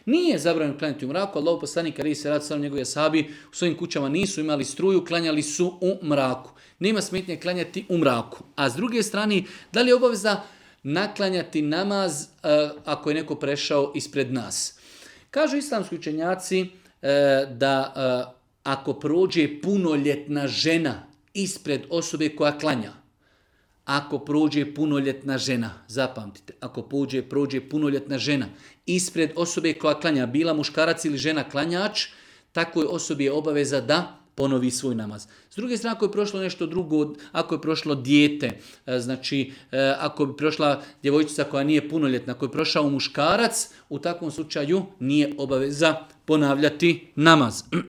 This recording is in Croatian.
Nije zabranjeno klanjati u mraku, Allahov poslanik alejhi selatu selam, njegovi ashabi u svojim kućama nisu imali struju, klanjali su u mraku. Nema smetnje klanjati u mraku. A s druge strane, da li je obaveza naklanjati namaz ako je neko prešao ispred nas? Kažu islamski učenjaci da ako prođe punoljetna žena ispred osobe koja klanja, ako prođe punoljetna žena, zapamtite, ako prođe punoljetna žena ispred osobe koja klanja, bila muškarac ili žena klanjač, takvoj osobi je obaveza da ponovi svoj namaz. S druge strane, ako je prošlo nešto drugo, ako je prošlo dijete, znači ako bi prošla djevojčica koja nije punoljetna, ako je prošao muškarac, u takvom slučaju nije obaveza ponavljati namaz.